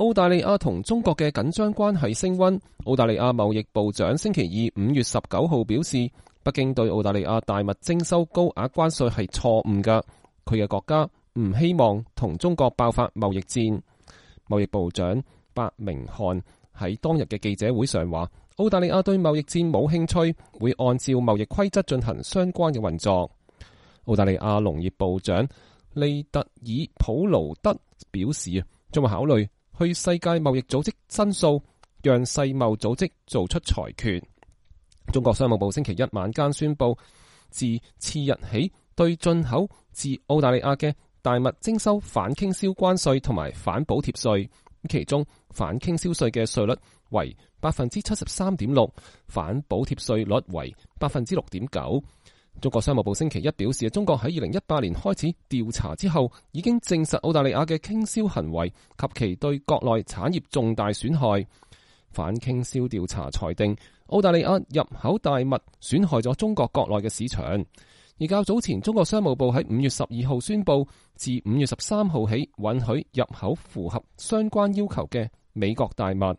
澳大利亞同中國嘅緊張關係升溫。澳大利亞貿易部長星期二5月19號表示，北京對澳大利亞大麥徵收高額關稅係錯誤㗎，佢嘅國家唔希望同中國爆發貿易戰。貿易部長白明漢喺當日嘅記者會上話，澳大利亞對貿易戰冇興趣，會按照貿易規則進行相關嘅運作。澳大利亞農業部長利特爾普勞德表示，將會考慮去世界貿易組織申訴，讓世貿組織做出裁決。中國商務部星期一晚間宣布，自次日起對進口自澳大利亞嘅大麥徵收反傾銷關稅同埋反補貼稅，其中反傾銷稅嘅稅率為73.6%，反補貼稅率為6.9%。中國商務部星期一表示，中國喺2018年開始調查之後，已經證實澳大利亞嘅傾銷行為及其對國內產業重大損害。反傾銷調查裁定，澳大利亞入口大麥損害咗中國國內嘅市場。而較早前，中國商務部喺5月12號宣布，自5月13號起允許入口符合相關要求嘅美國大麥。